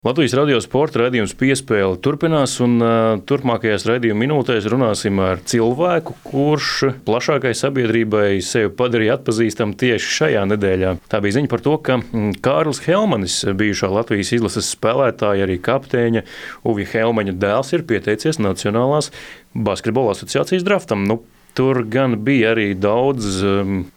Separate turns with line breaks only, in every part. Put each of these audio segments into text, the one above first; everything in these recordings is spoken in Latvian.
Latvijas radio sporta raidījums Piespēle turpinās, un turpmākajās raidījuma minūtēs runāsim ar cilvēku, kurš plašākai sabiedrībai sevi padarīja atpazīstamu tieši šajā nedēļā. Tā bija ziņa par to, ka Kārlis Helmanis, bijušā Latvijas izlases spēlētāja, arī kapteiņa Uvija Helmaņa dēls, ir pieteicies Nacionālās basketbola asociācijas draftam. Tur gan bija arī daudz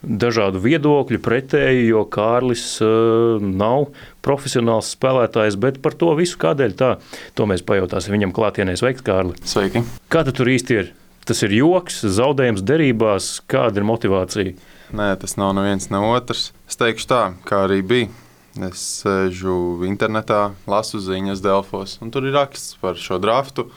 dažādu viedokļu pretēji, jo Kārlis nav profesionāls spēlētājs, bet par to visu kādēļ tā, to mēs pajautāsim viņam klātienē. Sveiks, Kārli!
Sveiki!
Kā tu tur īsti ir? Tas ir joks, zaudējums derībās, kāda ir motivācija?
Nē, tas nav neviens ne otrs. Es teikšu tā, kā arī bija. Es sēžu internetā, lasu ziņas Delfos, un tur ir raksts par šo draftu,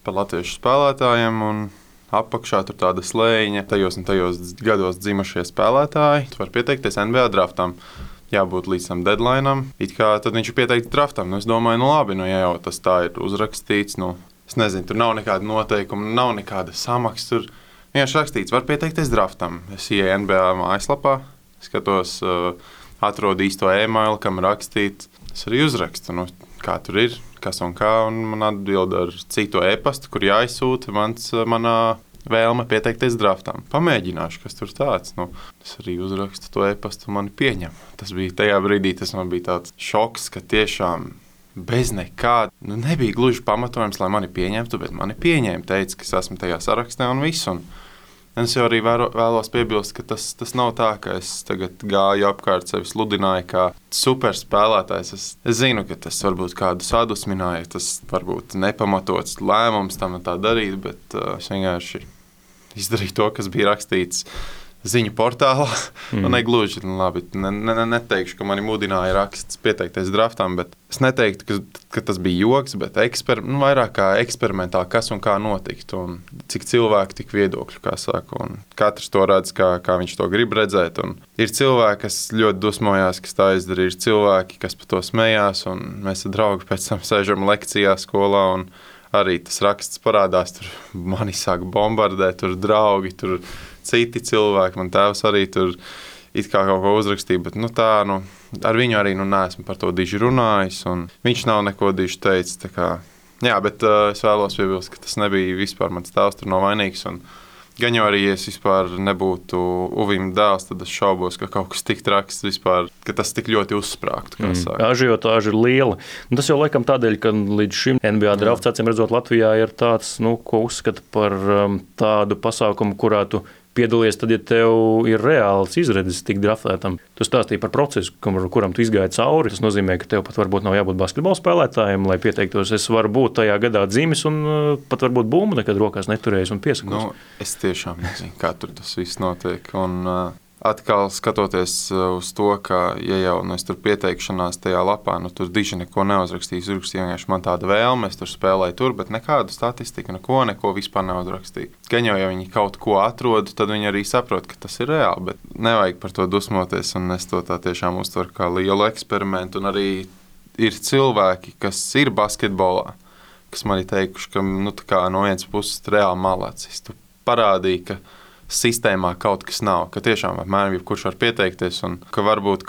par latviešu spēlētājiem, un apakšā tur tāda slēņa. Tajos un tajos gados dzimušie spēlētāji var pieteikties NBA draftam. Jābūt līdz tam deadlineam. It kā tad viņš ir pieteikts draftam. Es domāju, labi, ja jau tas tā ir uzrakstīts. Es nezinu, tur nav nekāda noteikuma, nav nekāda samaksa. Tur vienkārši rakstīts, var pieteikties draftam. Es ieeju NBA mājaslapā, skatos, atrodu īsto e-mailu, kam rakstīt. Es arī uzrakstu, kā tur ir, kas un kā, un man atbild ar citu e-pastu, kur jāizsūta manā vēlme pieteikties draftam. Pamēģināšu, kas tur tāds. Es arī uzrakstu to e-pastu, un mani pieņem. Tas bija tajā brīdī, tas man bija tāds šoks, ka tiešām bez nekāda, nebija gluži pamatojums, lai mani pieņemtu, bet mani pieņēma, teica, ka es esmu tajā sarakstā un viss. Un es jau arī vēlos piebilst, ka tas nav tā, ka es tagad gāju apkārt sevi sludināju kā superspēlētājs. Es zinu, ka tas varbūt kādu sadusmināja, tas varbūt nepamatots lēmums tam tā darīt, bet es vienkārši izdarīju to, kas bija rakstīts ziņu portālā. Negluži, labi, neteikšu, ka mani mudināja raksts pieteikties draftam, bet es neteiktu, ka tas bija joks, bet vairāk kā eksperimentāli, kas un kā notikt, un cik cilvēki, tik viedokļu, kā saka, un katrs to redz, kā viņš to grib redzēt, un ir cilvēki, kas ļoti dusmojās, kas tā izdarīja, ir cilvēki, kas par to smējās, un mēs ar draugu pēc tam sēžam lekcijā skolā, un arī tas raksts parādās, tur mani sāk bombardēt, tur draugi, tur citi cilvēki, man tēvs arī tur it kā kaut ko uzrakstīja, bet ar viņu arī neesmu par to diži runājis, un viņš nav neko diži teicis, tā kā, jā, bet es vēlos piebilst, ka tas nebija vispār mans tēvs, tur nav vainīgs, un gan jau arī, ja es vispār nebūtu Uvim dēls, tad es šaubos, ka kaut kas tik traks vispār, ka tas tik ļoti uzsprāgtu, kā saka.
Ažiotāža ir liela. Tas jau laikam tādēļ, ka līdz šim NBA drafts, acīm redzot, Latvijā ir tāds, ko uzskata par tādu pasākumu, kurā tu piedalies tad, ja tev ir reāls izredzes tikt draftētam. Tu stāstīji par procesu, kuram tu izgāji cauri. Tas nozīmē, ka tev pat varbūt nav jābūt basketbola spēlētājiem, lai pieteiktos. Es varu būt tajā gadā dzimis un pat varbūt bumbu nekad rokās neturējis un piesakos.
Es tiešām nezinu, kā tur tas viss notiek. Un atkal skatoties uz to, ka, ja jau es tur pieteikšanās tajā lapā, tur diži neko neuzrakstīju. Uzrakstīju vienkārši man tāda vēlme, es tur spēlēju tur, bet nekādu statistiku, neko vispār neuzrakstīju. Gan jau, ja viņi kaut ko atrod, tad viņi arī saprot, ka tas ir reāli, bet nevajag par to dusmoties, un es to tā tiešām uztveru kā lielu eksperimentu, un arī ir cilvēki, kas ir basketbolā, kas man ir teikuši, ka no vienas puses reāli malacis. Tu parādīji, ka sistēmā kaut kas nav, ka tiešām apmēram jebkurš var pieteikties, un ka varbūt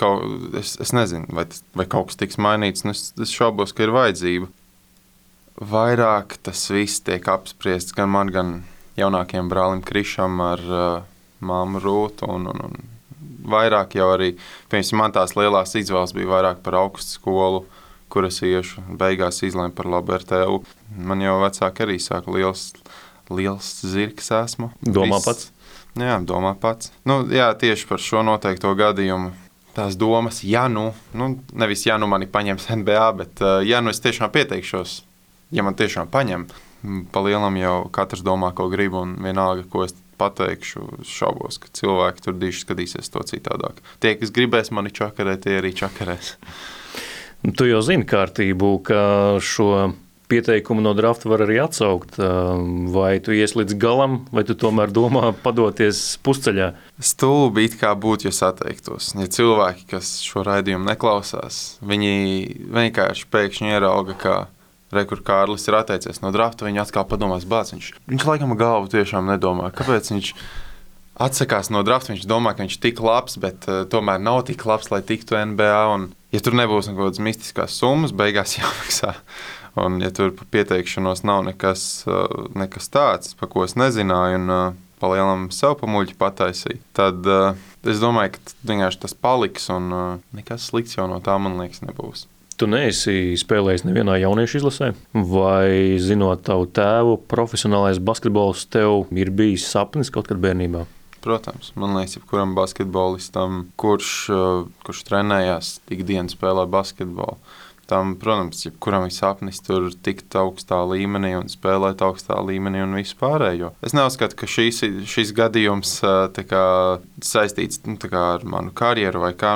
es nezinu, vai kaut kas tiks mainīts, un es šaubos, ka ir vajadzība. Vairāk tas viss tiek apspriests gan man, gan jaunākiem brālim Krišam ar māmu Rūtu, un vairāk jau arī, piemēram, man tās lielās izvēles bija vairāk par augstu skolu, kur es iešu, beigās izlēmu par labu RTU. Man jau vecāki arī saka, liels zirgs esmu.
Domā pats?
Jā, domā pats. Jā, tieši par šo noteikto gadījumu. Tās domas, nevis mani paņems NBA, bet es tiešām pieteikšos, ja man tiešām paņem. Pa lielam jau katrs domā, ko grib, un vienalga, ko es pateikšu, šaubos, ka cilvēki tur diži skatīsies to citādāk. Tie, kas gribēs mani čakarēt, tie arī čakarēs.
Tu jau zini kārtību, ka šo pieteikumu no drafta var arī atsaukt. Vai tu ies līdz galam, vai tu tomēr domā padoties pusceļā?
Stulbi it kā būtu, ja sateiktos. Ja cilvēki, kas šo raidījumu neklausās, viņi vienkārši pēkšņi ierauga, ka kur Kārlis ir atteicies no drafta, viņi atkal padomās, viņš laikam galvu tiešām nedomā. Kāpēc viņš atsakās no drafta. Viņš domā, ka viņš ir tik labs, bet tomēr nav tik labs, lai tiktu NBA. Un, ja tur nebūs kaut kādas mistiskās summas, beigās jāmaksā. Un, ja tur pa pieteikšanos nav nekas tāds, pa ko es nezināju, un palielam sev pa muļķi pataisīt, tad es domāju, ka vienkārši tas paliks, un nekas slikts jau no tā, man liekas, nebūs.
Tu neesi spēlējis nevienā jauniešu izlasē, vai zinot tavu tēvu, profesionālais basketbols tev ir bijis sapnis kaut kad bērnībā?
Protams, man liekas, jebkuram basketbolistam, kurš trenējās, ikdienas spēlē basketbolu, tam, protams, jebkuram ir sapnis tur tikt augstā līmenī un spēlēt augstā līmenī un visu pārējo. Es neuzskatu, ka šis gadījums saistīts ar manu karjeru vai kā.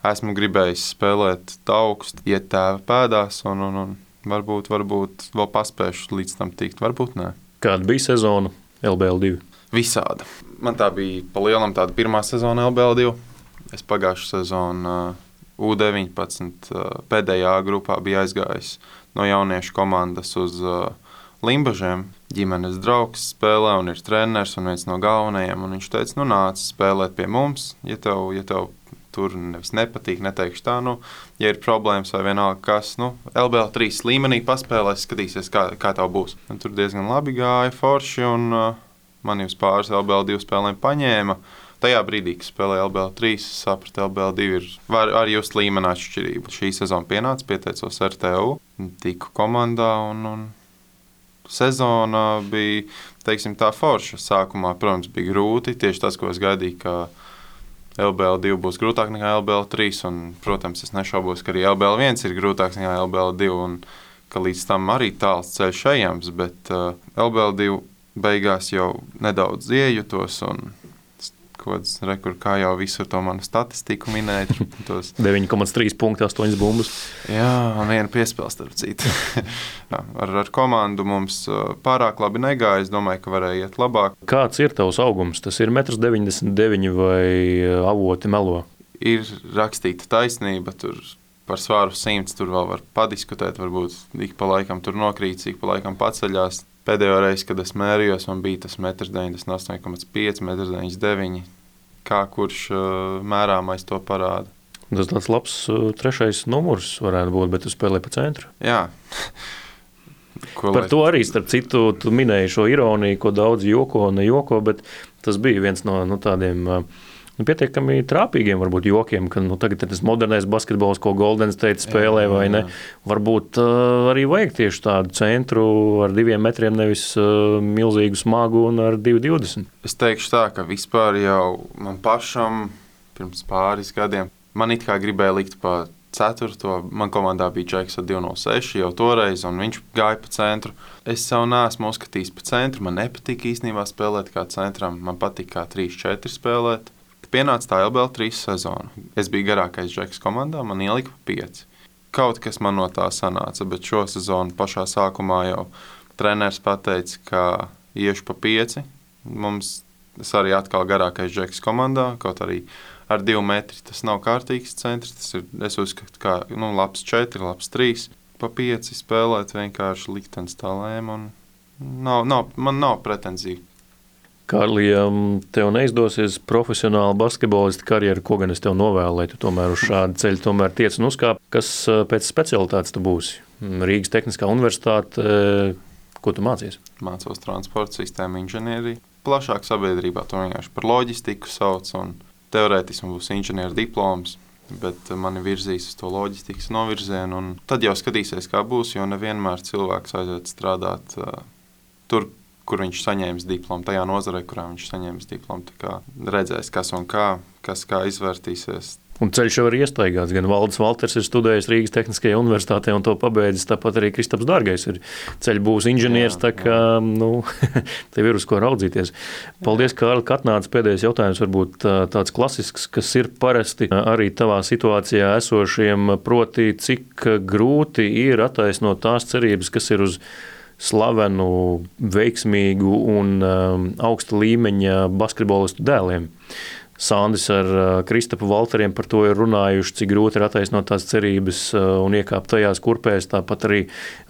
Esmu gribējis spēlēt augstu, iet tēva pēdās un varbūt vēl paspēšu līdz tam tikt, varbūt nē.
Kāda bija sezona LBL2?
Visāda. Man tā bija pa lielam tāda pirmā sezona LBL2. Es pagājušu sezonu U19 pēdējā grupā bija aizgājis no jauniešu komandas uz Limbažiem. Ģimenes draugs spēlē un ir treneris un viens no galvenajiem. Un viņš teica, nāc spēlēt pie mums, ja tev tur nevis nepatīk, neteikšu tā, ja ir problēmas vai vienalga kas, LBL3 līmenī paspēlēs, skatīsies, kā tev būs. Un tur diezgan labi gāja forši un mani uz pāris LBL2 spēlēm paņēma. Tajā brīdī, kad spēlēju LBL3, es sapratu, LBL2 var arī just līmeni atšķirību. Šī sezona pienāca, pieteicos RTU, tiku komandā un sezona bija, teiksim, tā forša. Sākumā, protams, bija grūti, tieši tas, ko es gaidīju, ka LBL2 būs grūtāk nekā LBL3, un, protams, es nešaubos, ka arī LBL1 ir grūtāks nekā LBL2, un ka līdz tam arī tāls ceļš ejams, bet LBL2 beigās jau nedaudz iejutos, un kā jau visur to manu statistiku minēja.
9,3 punkti, 8 bumbas.
Jā, un viena piespēle starp citu. ar komandu mums pārāk labi negāja. Es domāju, ka varēja iet labāk.
Kāds ir tavs augums? Tas ir 1,99 m vai avoti melo?
Ir rakstīta taisnība. Tur par svāru 100 tur vēl var padiskutēt. Varbūt ik pa laikam tur nokrīt, ik pa laikam paceļās. Pēdējo reizi, kad es mērījos, man bija tas 98,5 m, 99 m. Kā kurš mērāmais to parāda.
Tas tāds labs trešais numurs varētu būt, bet tu spēlē pa centru.
Jā.
Par to arī, starp citu, tu minēji šo ironiju, ko daudz joko un nejoko, bet tas bija viens no tādiem pietiekami trāpīgiem varbūt jokiem, ka tagad ir tas modernais basketbols, ko Golden State spēlē vai ne. Varbūt arī vajag tieši tādu centru ar 2 metriem, nevis milzīgu smagu un ar 2,20.
Es teikšu tā, ka vispār jau man pašam pirms pāris gadiem man it kā gribēja likt pa 4. Man komandā bija Džeks ar 2,06 jau toreiz, un viņš gāja pa centru. Es savu neesmu uzskatījis pa centru, man nepatika īstenībā spēlēt kā centram, man patika kā 3-4 spēlēt. Pienāca tā LBL3 sezona. Es biju garākais Džeks komandā, man ielika pa 5. Kaut kas man no tā sanāca, bet šo sezonu pašā sākumā jau treneris pateica, ka iešu pa 5. Es arī atkal garākais Džeks komandā, kaut arī ar 2 metri tas nav kārtīgs centrs. Tas ir, es uzskatu, kā labs 4, labs 3. Pa 5 spēlēt vienkārši liktenis tā lēma, un man nav pretenziju.
Kārli, ja tev neizdosies profesionāla basketbolista karjeru, ko gan es tev novēlu, lai tu tomēr uz šādu ceļu tomēr tiec un uzkāp, kas pēc specialitātes tu būsi? Rīgas Tehniskā universitāte, ko tu mācies?
Mācos transporta sistēmu inženieriju. Plašāk sabiedrībā to vienkārši par loģistiku sauc, un teorētiski būs inženieru diploms, bet mani virzīs uz to loģistikas novirzienu, un tad jau skatīsies, kā būs, jo nevienmēr cilvēks aiziet strādāt tur, kur viņš saņēmis diplomu, tajā nozarē, kurā viņš saņēmis diplomu. Tā kā redzēs, kas un kā izvērtīsies.
Un ceļš jau ir iestaigāts. Gan Valdis Valters ir studējis Rīgas Tehniskajā universitātē un to pabeidzis, tāpat arī Kristaps Dārgais ir ceļu būs inženieris, tā kā, tev ir uz ko raudzīties. Paldies, Kārli, ka atnāc. Pēdējais jautājums varbūt tāds klasisks, kas ir parasti arī tavā situācijā esošiem, proti, cik grūti ir attaisnot tās cerības, kas ir uz slavenu, veiksmīgu un augsta līmeņa basketbolistu dēliem. Sandis ar Kristapu Valteriem par to ir runājuši, cik grūti ir attaisnot tās cerības un iekāpt tajās kurpēs. Tāpat arī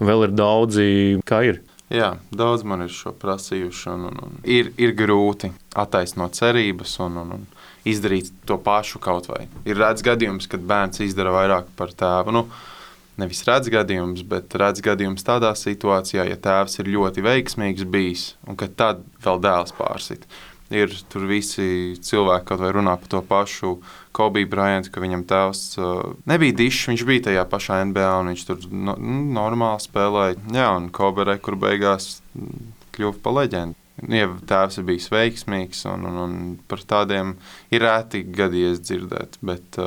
vēl ir daudzi, kā ir.
Jā, daudz man ir šo prasījuši. Un ir grūti attaisnot cerības un izdarīt to pašu kaut vai. Ir redz gadījums, kad bērns izdara vairāk par tēvu. Nevis redz gadījums, bet redz gadījums tādā situācijā, ja tēvs ir ļoti veiksmīgs bijis un kad tad vēl dēls pārsit. Ir tur visi cilvēki kaut vai runā par to pašu Kobe Bryantu, ka viņam tēvs nebija dišs, viņš bija tajā pašā NBA un viņš tur normāli spēlēja. Jā, un Kobe kur beigās kļuva pa leģendu. Ja tēvs ir bijis veiksmīgs un par tādiem ir rēti gadījies dzirdēt, bet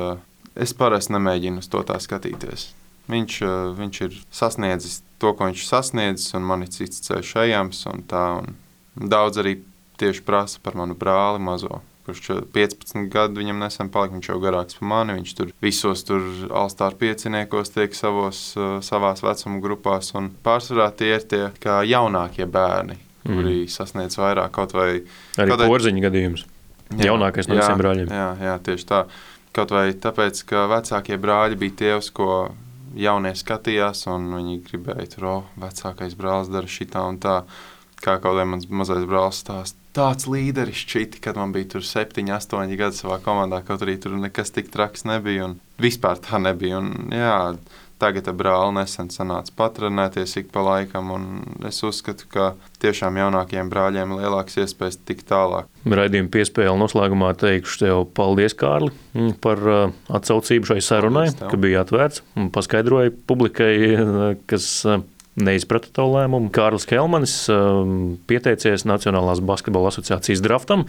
es parasti nemēģinu uz to tā skatīties. Viņš ir sasniedzis to, ko viņš sasniedzis, un man ir cits ceļš ejams un tā. Un daudz arī tieši prasa par manu brāli mazo, kurš 15 gadu viņam nesen palika, viņš jau garāks par mani, viņš tur visos All-Star pieciniekos tiek savās vecuma grupās, un pārsvarā tie ir tie kā jaunākie bērni, kuri sasniedz vairāk kaut vai...
Arī Porziņa gadījums, jaunākais no visiem brāļiem.
Jā, tieši tā. Kaut vai tāpēc, ka vecākie brāļi bija tie, uz ko jaunie skatījās, un viņi gribēja tur, vecākais brālis dara šitā un tā, kā kaut vai mans mazais brālis stāst. Tāds līderis šķiti, kad man bija tur 7, 8 gadi savā komandā, kaut arī tur nekas tik traks nebija, un vispār tā nebija. Un, jā, tagad ar brāli nesen sanāca patrenēties ik pa laikam, un es uzskatu, ka tiešām jaunākajiem brāļiem ir lielāks iespējas tikt tālāk.
Raidījuma piespēle noslēgumā teikšu tev paldies, Kārli, par atsaucību šai sarunai, ka bija atvērts un paskaidroja publikai, kas neizprata tavu lēmumu. Kārlis Kelmanis pieteicies Nacionālās basketbola asociācijas draftam.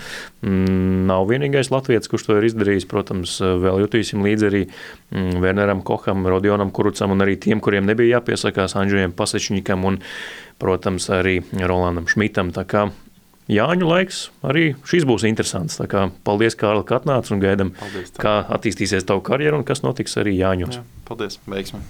Nav vienīgais latvietis, kurš to ir izdarījis. Protams, vēl jutīsim līdzi arī Werneram Koham, Rodionam Kurucam un arī tiem, kuriem nebija jāpiesakās, Andžejam Pasečņikam un, protams, arī Rolandam Šmitam. Tā kā Jāņu laiks arī šis būs interesants. Tā kā paldies, Kārli, ka atnāc un gaidam, kā attīstīsies tavu karjeru un kas notiks arī Jāņos.
Jā, paldies, veiksmi!